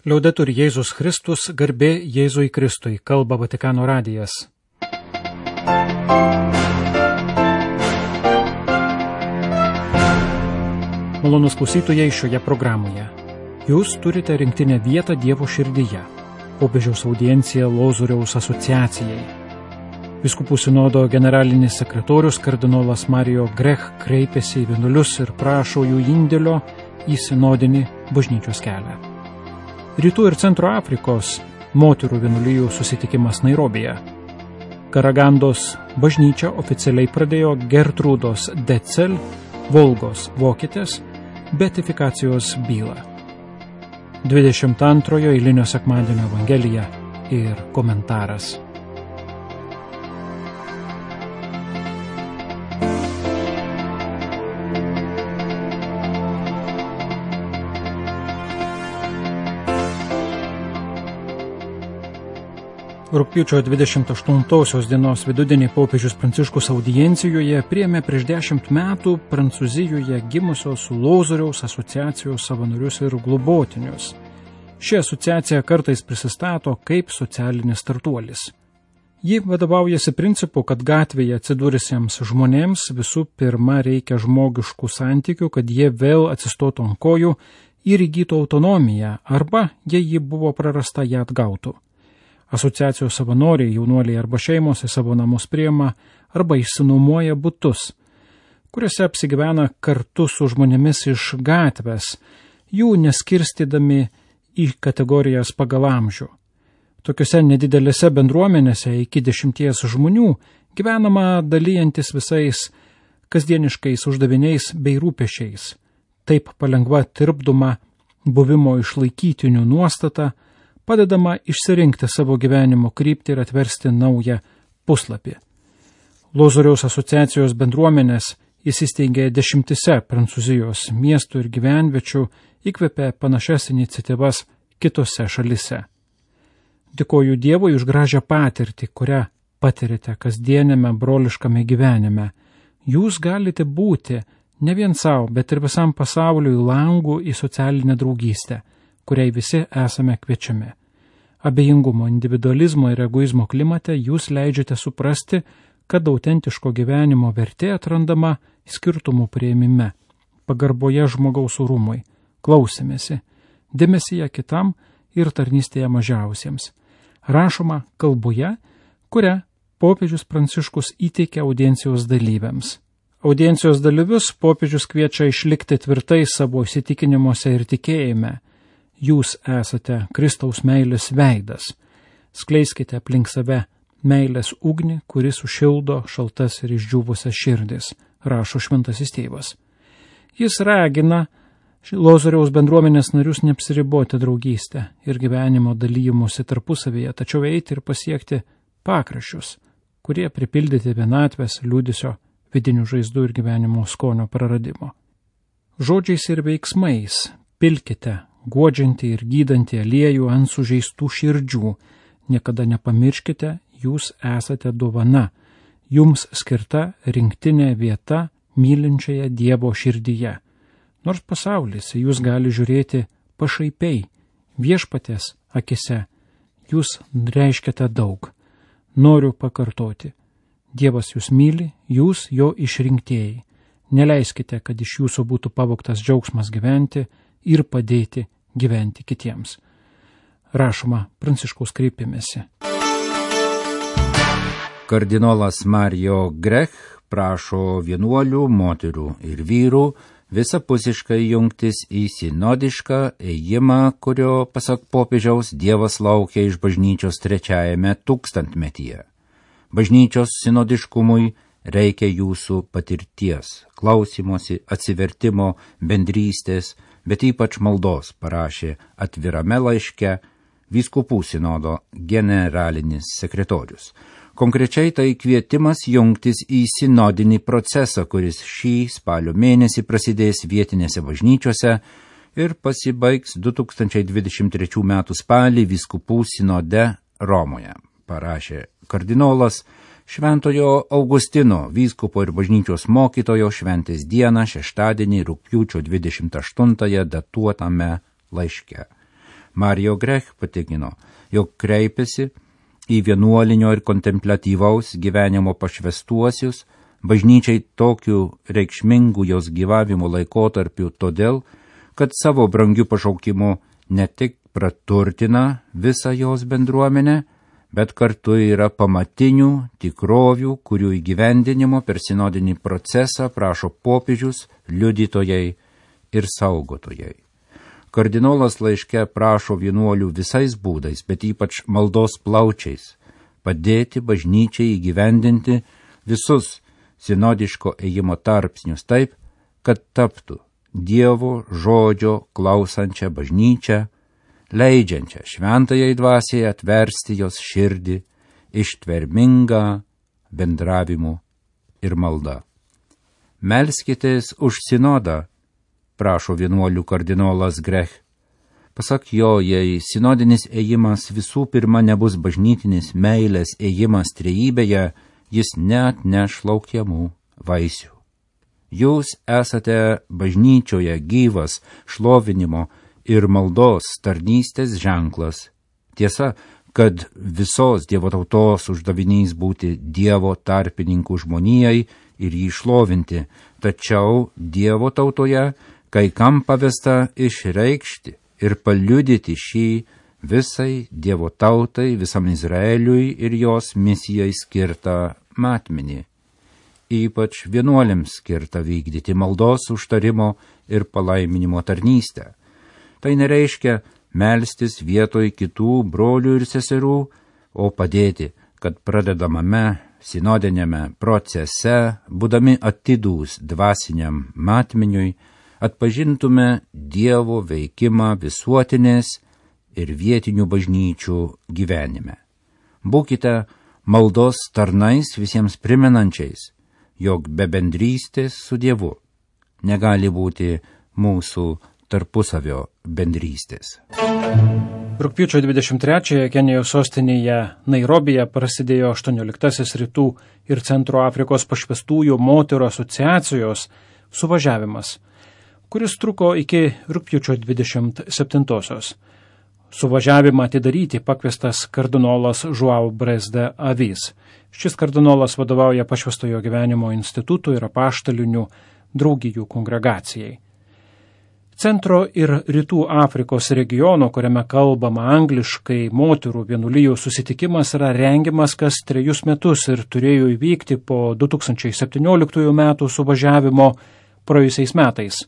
Liaudetur Jėzus Kristus, garbė Jėzui Kristui, kalba Vatikano radijas. Malonūs klausytojai šioje programoje. Jūs turite rinktinę vietą Dievo širdyje. Popiežiaus audiencija Lozoriaus asociacijai. Vyskupų sinodo generalinis sekretorius kardinolas Mario Grech kreipėsi į vienuolius ir prašo jų indėlio į sinodinį bažnyčios kelią. Rytų ir Centro Afrikos moterų vienuolijų susitikimas Nairobije. Karagandos bažnyčia oficialiai pradėjo Gertrūdos Decel, Volgos vokietės, beatifikacijos bylą. 22 eilinio sekmadienio evangelija ir komentaras. Rugpjūčio 28 dienos vidudienį popiežius Pranciškus audiencijoje priėmė prieš 10 metų Prancūzijoje gimusios Lozoriaus asociacijos savanorius ir globotinius. Ši asociacija kartais prisistato kaip socialinis startuolis. Ji vadovaujasi principu, kad gatvėje atsidūrusiems žmonėms visų pirma reikia žmogiškų santykių, kad jie vėl atsistotų ant kojų ir įgytų autonomiją, arba, jei ji buvo prarasta, ją atgautų. Asociacijos savanoriai, jaunuoliai arba šeimos į savo namus priima arba išsinuomoja butus, kuriuose apsigyvena kartu su žmonėmis iš gatvės, jų neskirstydami į kategorijas pagal amžių. Tokiuose nedidelėse bendruomenėse iki 10 žmonių gyvenama dalyjantis visais kasdieniškais uždaviniais bei rūpesčiais. Taip palengva tirpdoma buvimo išlaikytinių nuostata, padedama išsirinkti savo gyvenimo kryptį ir atversti naują puslapį. Lozoriaus asociacijos bendruomenės įsisteigė 10 Prancūzijos miestų ir gyvenviečių, įkvėpė panašias iniciatyvas kitose šalise. Dėkoju Dievui už gražią patirtį, kurią patirite kasdienėme broliškame gyvenime. Jūs galite būti ne vien savo, bet ir visam pasauliui langų į socialinę draugystę, kuriai visi esame kviečiami. Abejingumo, individualizmo ir egoizmo klimate jūs leidžiate suprasti, kad autentiško gyvenimo vertė atrandama skirtumų priėmime, pagarboje žmogaus orumui, klausimėsi, dėmesyje kitam ir tarnystėje mažiausiems. Rašoma kalboje, kurią popiežius Pranciškus įteikė audiencijos dalyviams. Audiencijos dalyvius popiežius kviečia išlikti tvirtai savo įsitikinimuose ir tikėjime. Jūs esate Kristaus meilės veidas. Skleiskite aplink save meilės ugnį, kuris sušildo šaltas ir išdžiūvusias širdis, rašo šventasis tėvas. Jis ragina Lozoriaus bendruomenės narius neapsiriboti draugystę ir gyvenimo dalyjimusi tarpusavėje, tačiau eiti ir pasiekti pakraščius, kurie pripildyti vienatvės, liūdesio, vidinių žaizdų ir gyvenimo skonio praradimo. Žodžiais ir veiksmais pilkite guodžiantį ir gydantį aliejų ant sužeistų širdžių. Niekada nepamirškite, jūs esate dovana, jums skirta rinktinė vieta mylinčioje Dievo širdyje. Nors pasaulis jūs gali žiūrėti pašaipiai, viešpaties akise, jūs reiškiate daug. Noriu pakartoti, Dievas jūs myli, jūs jo išrinktieji. Neleiskite, kad iš jūsų būtų pavogtas džiaugsmas gyventi ir padėti gyventi kitiems. Rašoma Pranciškaus kreipimėsi. Kardinolas Mario Grech prašo vienuolių, moterų ir vyrų visapusiškai jungtis į sinodišką ėjimą, kurio, pasak popiežiaus, Dievas laukia iš bažnyčios 3 tūkstantmetyje. Bažnyčios sinodiškumui reikia jūsų patirties, klausymosi, atsivertimo, bendrystės, bet ypač maldos, parašė atvirame laiške vyskupų sinodo generalinis sekretorius. Konkrečiai tai kvietimas jungtis į sinodinį procesą, kuris šį spalio mėnesį prasidės vietinėse bažnyčiose ir pasibaigs 2023 m. spalį vyskupų sinode Romoje, parašė kardinolas Šventojo Augustino, vyskupo ir bažnyčios mokytojo šventės dieną, šeštadienį, rugpjūčio 28 datuotame laiške. Mario Grech patikino, jog kreipiasi į vienuolinio ir kontempliatyvaus gyvenimo pašvestuosius, bažnyčiai tokiu reikšmingu jos gyvavimo laikotarpiu todėl, kad savo brangiu pašaukimu ne tik praturtina visą jos bendruomenę, bet kartu yra pamatinių tikrovių, kurių įgyvendinimo per sinodinį procesą prašo popiežius, liudytojai ir saugotojai. Kardinolas laiške prašo vienuolių visais būdais, bet ypač maldos plaučiais, padėti bažnyčiai įgyvendinti visus sinodiško ėjimo tarpsnius taip, kad taptų Dievo žodžio klausančią bažnyčią, leidžiančią šventajai dvasiai atversti jos širdį ištvermingą bendravimu ir malda. Melskitės už sinodą, prašo vienuolių kardinolas Grech. Pasak jo, jei sinodinis ėjimas visų pirma nebus bažnytinis meilės ėjimas trejybėje, jis neatneš laukiamų vaisių. Jūs esate bažnyčioje gyvas šlovinimo ir maldos tarnystės ženklas. Tiesa, kad visos Dievo tautos uždavinys būti Dievo tarpininkų žmonijai ir jį šlovinti, tačiau Dievo tautoje kai kam pavesta išreikšti ir paliudyti šį visai Dievo tautai, visam Izraeliui ir jos misijai skirtą matmenį. Ypač vienuoliams skirta vykdyti maldos užtarimo ir palaiminimo tarnystę. Tai nereiškia melstis vietoj kitų brolių ir seserų, o padėti, kad pradedamame sinodinėme procese, būdami atidūs dvasiniam matmeniui, atpažintume Dievo veikimą visuotinės ir vietinių bažnyčių gyvenime. Būkite maldos tarnais visiems primenančiais, jog be bendrystės su Dievu negali būti mūsų tarpusavio bendrystės. Rugpjūčio 23-ąją Kenijos sostinėje Nairobije prasidėjo 18-asis Rytų ir Centro Afrikos pašvestųjų moterų asociacijos suvažiavimas, kuris truko iki rugpjūčio 27-osios. Suvažiavimą atidaryti pakviestas kardinolas Joao Bres de Avis. Šis kardinolas vadovauja Pašvestojo gyvenimo institutų ir apaštalinių draugijų kongregacijai. Centro ir Rytų Afrikos regiono, kuriame kalbama angliškai, moterų vienuolijų susitikimas yra rengiamas kas 3 metus ir turėjo įvykti po 2017 metų suvažiavimo praėjusiais metais.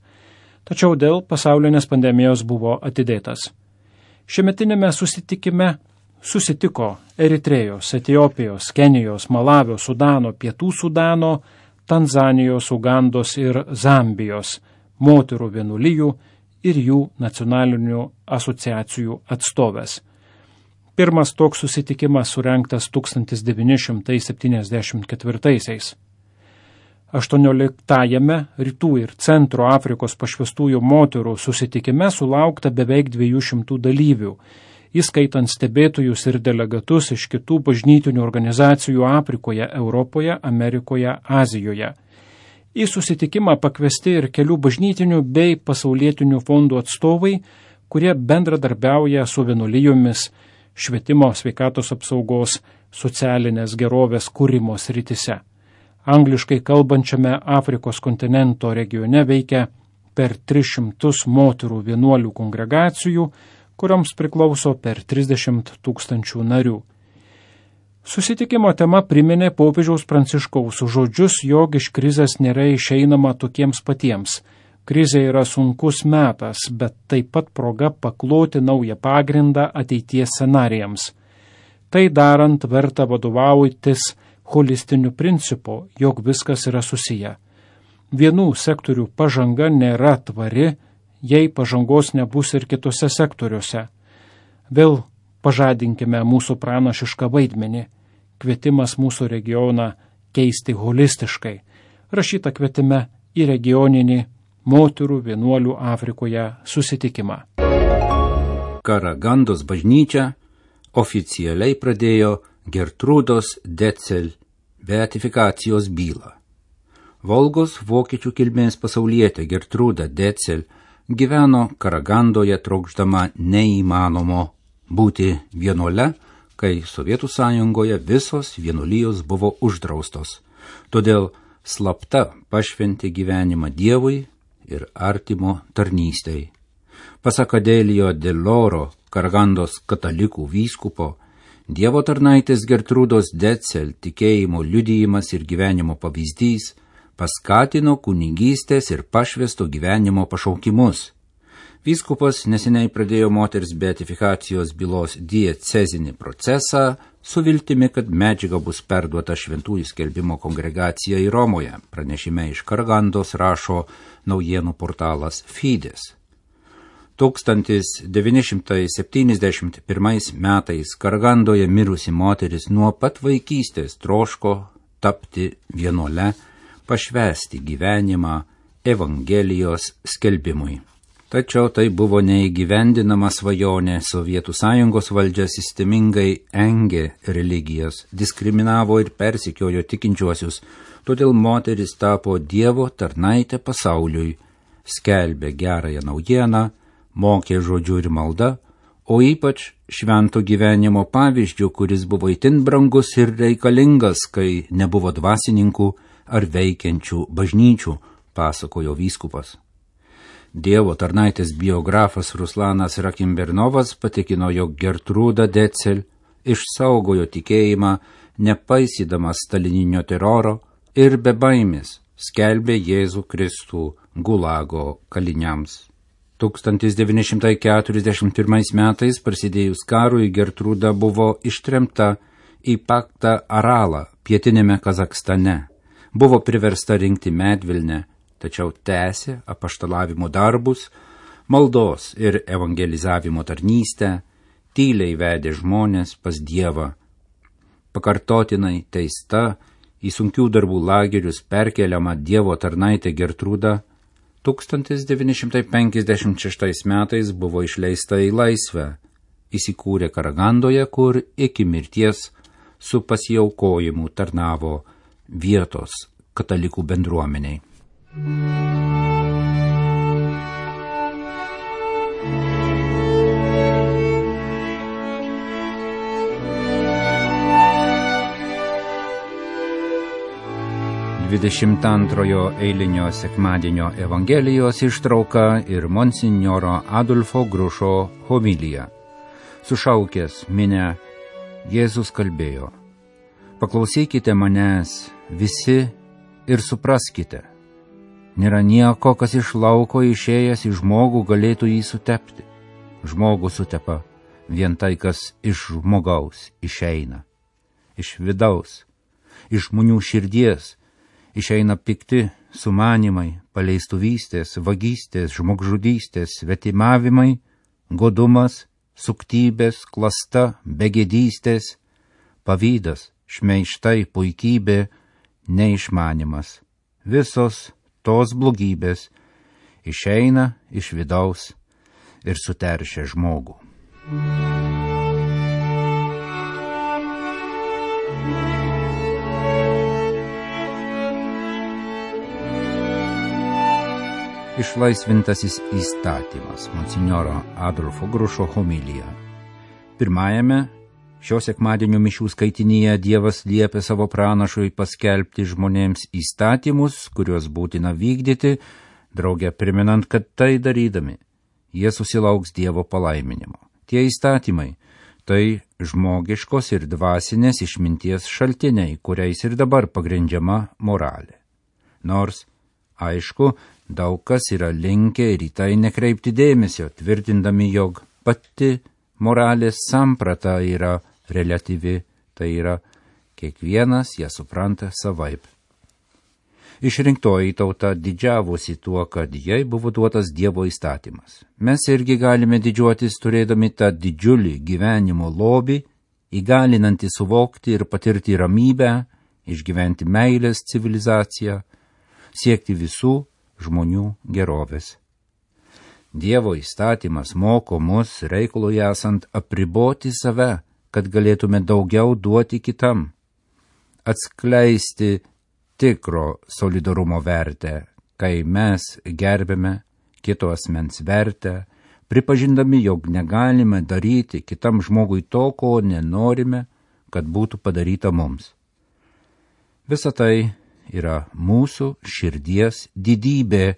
Tačiau dėl pasaulinės pandemijos buvo atidėtas. Šiemetinėme susitikime susitiko Eritrėjos, Etiopijos, Kenijos, Malavio, Sudano, Pietų Sudano, Tanzanijos, Ugandos ir Zambijos moterų vienuolijų ir jų nacionalinių asociacijų atstovės. Pirmas toks susitikimas surengtas 1974-aisiais. 18-ajame Rytų ir Centro Afrikos pašvestųjų moterų susitikime sulaukta beveik 200 dalyvių, įskaitant stebėtojus ir delegatus iš kitų bažnytinių organizacijų Afrikoje, Europoje, Amerikoje, Azijoje. Į susitikimą pakviesti ir kelių bažnytinių bei pasaulietinių fondų atstovai, kurie bendradarbiauja su vienuolijomis švietimo, sveikatos apsaugos, socialinės gerovės kūrimo srityse. Angliškai kalbančiame Afrikos kontinento regione veikia per 300 moterų vienuolių kongregacijų, kurioms priklauso per 30 000 narių. Susitikimo tema priminė popiežiaus Pranciškaus žodžius, jog iš krizės nėra išeinama tokiems patiems. Krizė yra sunkus metas, bet taip pat proga pakloti naują pagrindą ateities scenarijams. Tai darant verta vadovautis holistiniu principu, jog viskas yra susiję. Vienų sektorių pažanga nėra tvari, jei pažangos nebus ir kitose sektoriuose. Vėl pažadinkime mūsų pranašišką vaidmenį, kvietimas mūsų regioną keisti holistiškai, rašyta kvietime į regioninį moterų vienuolių Afrikoje susitikimą. Karagandos bažnyčia oficialiai pradėjo Gertrūdos Decel beatifikacijos bylą. Volgos vokiečių kilmės pasaulietė Gertrūda Decel gyveno Karagandoje trokšdama neįmanomo būti vienuole, kai Sovietų sąjungoje visos vienuolijos buvo uždraustos. Todėl slapta pašventė gyvenimą Dievui ir artimo tarnystei. Pasak Adelio Deloro, Karagandos katalikų vyskupo, Dievo tarnaitės Gertrūdos Decel tikėjimo liudijimas ir gyvenimo pavyzdys paskatino kunigystės ir pašvesto gyvenimo pašaukimus. Vyskupas neseniai pradėjo moters beatifikacijos bylos diecezinį procesą su viltimi, kad medžiaga bus perduota šventųjų skelbimo kongregacijai Romoje. Pranešime iš Karagandos rašo naujienų portalas Fides. 1971 metais Karagandoje mirusi moteris nuo pat vaikystės troško tapti vienuole, pašvęsti gyvenimą Evangelijos skelbimui. Tačiau tai buvo neįgyvendinama svajonė, Sovietų sąjungos valdžia sistemingai engė religijas, diskriminavo ir persekiojo tikinčiuosius, todėl moteris tapo Dievo tarnaitė pasauliui, skelbė gerąją naujieną, mokė žodžiu ir malda, o ypač švento gyvenimo pavyzdžių, kuris buvo itin brangus ir reikalingas, kai nebuvo dvasininkų ar veikiančių bažnyčių, pasakojo vyskupas. Dievo tarnaitės biografas Ruslanas Rakimbernovas patikino, jog Gertrūda Decel išsaugojo tikėjimą, nepaisydamas stalininio teroro ir be baimės skelbė Jėzų Kristų Gulago kaliniams. 1941 metais prasidėjus karui Gertrūda buvo ištremta į Paktą Aralą pietinėme Kazakstane. Buvo priversta rinkti medvilnę, tačiau tęsė apaštalavimo darbus, maldos ir evangelizavimo tarnystę, tyliai vedė žmonės pas Dievą. Pakartotinai teista, į sunkių darbų lagerius perkeliama Dievo tarnaitė Gertrūda 1956 metais buvo išleista į laisvę, įsikūrė Karagandoje, kur iki mirties su pasiaukojimu tarnavo vietos katalikų bendruomeniai. Dvidešimtantrojo eilinio sekmadienio Evangelijos ištrauka ir monsinjoro Adolfo Grušo homilija. Sušaukęs minią, Jėzus kalbėjo: paklausykite manęs visi ir supraskite. Nėra nieko, kas iš lauko išėjęs į žmogų galėtų jį sutepti. Žmogų sutepa vien tai, kas iš žmogaus išeina. Iš vidaus, iš žmonių širdies išeina pikti sumanimai, paleistuvystės, vagystės, žmogžudystės, svetimavimai, godumas, suktybės, klasta, begėdystės, pavydas, šmeižtai, puikybė, neišmanimas. Visos tos blogybės išeina iš vidaus ir suteršia žmogų. Išlaisvintasis įstatymas, monsinjoro Adolfo Grušo homilija. Pirmajame šio sekmadienio mišių skaitinyje Dievas liepė savo pranašui paskelbti žmonėms įstatymus, kuriuos būtina vykdyti, drauge priminant, kad tai darydami jie susilauks Dievo palaiminimo. Tie įstatymai tai žmogiškos ir dvasinės išminties šaltiniai, kuriais ir dabar pagrindžiama moralė. Nors, aišku, daug kas yra linkę ir į tai nekreipti dėmesio, tvirtindami, jog pati moralės samprata yra reliatyvi, tai yra kiekvienas ją supranta savaip. Išrinktoji tauta didžiavosi tuo, kad jai buvo duotas Dievo įstatymas. Mes irgi galime didžiuotis turėdami tą didžiulį gyvenimo lobį, įgalinantį suvokti ir patirti ramybę, išgyventi meilės civilizaciją, siekti visų žmonių gerovės. Dievo įstatymas moko mus reikalui esant apriboti save, kad galėtume daugiau duoti kitam, atskleisti tikro solidarumo vertę, kai mes gerbėme kito asmens vertę, pripažindami, jog negalime daryti kitam žmogui to, ko nenorime, kad būtų padaryta mums. Visa tai yra mūsų širdies didybė,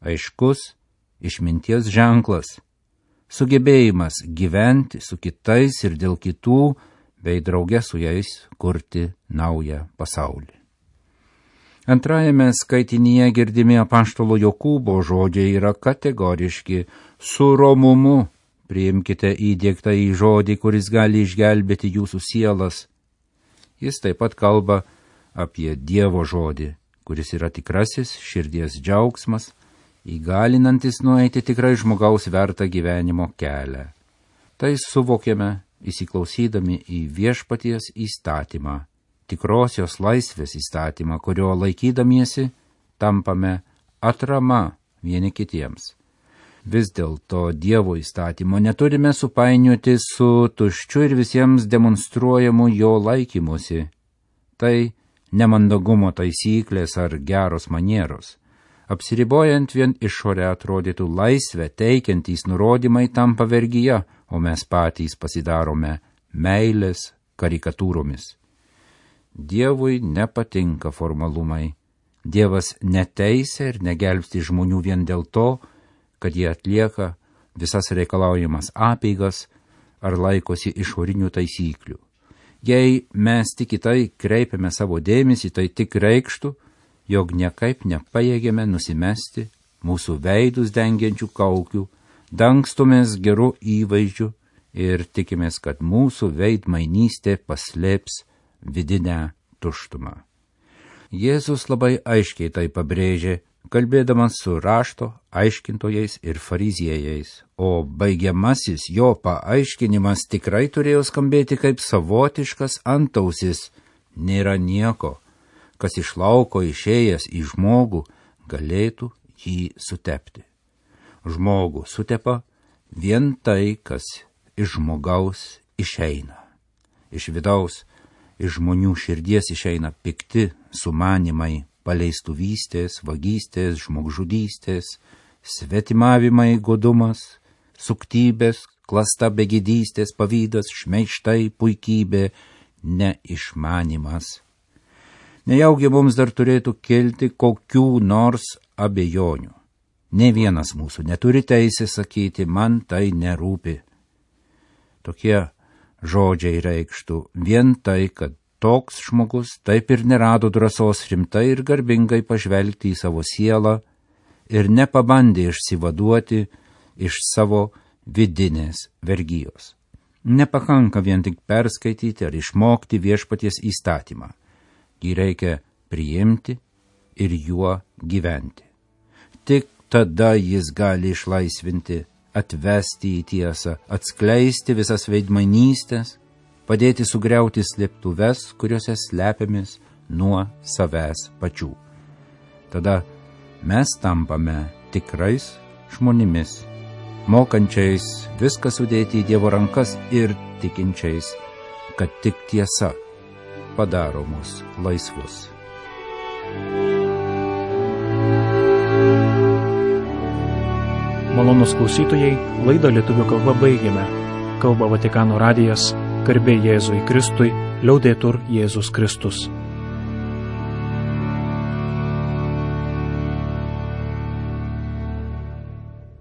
aiškus išminties ženklas, sugebėjimas gyventi su kitais ir dėl kitų, bei drauge su jais kurti naują pasaulį. Antrajame skaitinyje girdimi apaštalo Jokūbo žodžiai yra kategoriški: su romumu priimkite įdiegtą į žodį, kuris gali išgelbėti jūsų sielas. Jis taip pat kalba apie Dievo žodį, kuris yra tikrasis širdies džiaugsmas, įgalinantis nueiti tikrai žmogaus vertą gyvenimo kelią. Tai suvokiame įsiklausydami į viešpaties įstatymą, tikrosios laisvės įstatymą, kurio laikydamiesi tampame atrama vieni kitiems. Vis dėlto Dievo įstatymo neturime supainioti su tuščiu ir visiems demonstruojamu jo laikymusi. Tai nemandagumo taisyklės ar geros manieros. Apsiribojant vien išorę atrodytų laisvę teikiantys nurodymai tampa vergyja, o mes patys pasidarome meilės karikatūromis. Dievui nepatinka formalumai. Dievas neteisia ir negelbsti žmonių vien dėl to, kad jie atlieka visas reikalaujamas apeigas ar laikosi išorinių taisyklių. Jei mes tik į tai kreipiame savo dėmesį, tai tik reikštų, jog niekaip nepajėgėme nusimesti mūsų veidus dengiančių kaukių, dangstumės gerų įvaizdžių ir tikimės, kad mūsų veidmainystė paslėps vidinę tuštumą. Jėzus labai aiškiai tai pabrėžė, kalbėdamas su rašto aiškintojais ir fariziejais, o baigiamasis jo paaiškinimas tikrai turėjo skambėti kaip savotiškas antausis: nėra nieko, kas iš lauko išėjęs į žmogų galėtų jį sutepti. Žmogų sutepa vien tai, kas iš žmogaus išeina. Iš vidaus, iš žmonių širdies išeina pikti sumanimai, paleistuvystės, vagystės, žmogžudystės, svetimavimai, godumas, suktybės, klasta begėdystės, pavydas, šmeižtai, puikybė, neišmanimas. Nejaugi mums dar turėtų kilti kokių nors abejonių. Ne vienas mūsų neturi teisės sakyti: man tai nerūpi. Tokie žodžiai reikštų vien tai, kad toks žmogus taip ir nerado drąsos rimtai ir garbingai pažvelgti į savo sielą ir nepabandė išsivaduoti iš savo vidinės vergijos. Nepakanka vien tik perskaityti ar išmokti viešpaties įstatymą. Jį reikia priimti ir juo gyventi. Tik tada jis gali išlaisvinti, atvesti į tiesą, atskleisti visas veidmainystės, padėti sugriauti slėptuves, kuriuose slepiamės nuo savęs pačių. Tada mes tampame tikrais žmonėmis, mokančiais viską sudėti į Dievo rankas ir tikinčiais, kad tik tiesa padaro mus laisvus. Malonūs klausytojai, laidą lietuvių kalba baigėme. Kalba Vatikano radijas, garbė Jėzui Kristui, liaudetur Jėzus Kristus.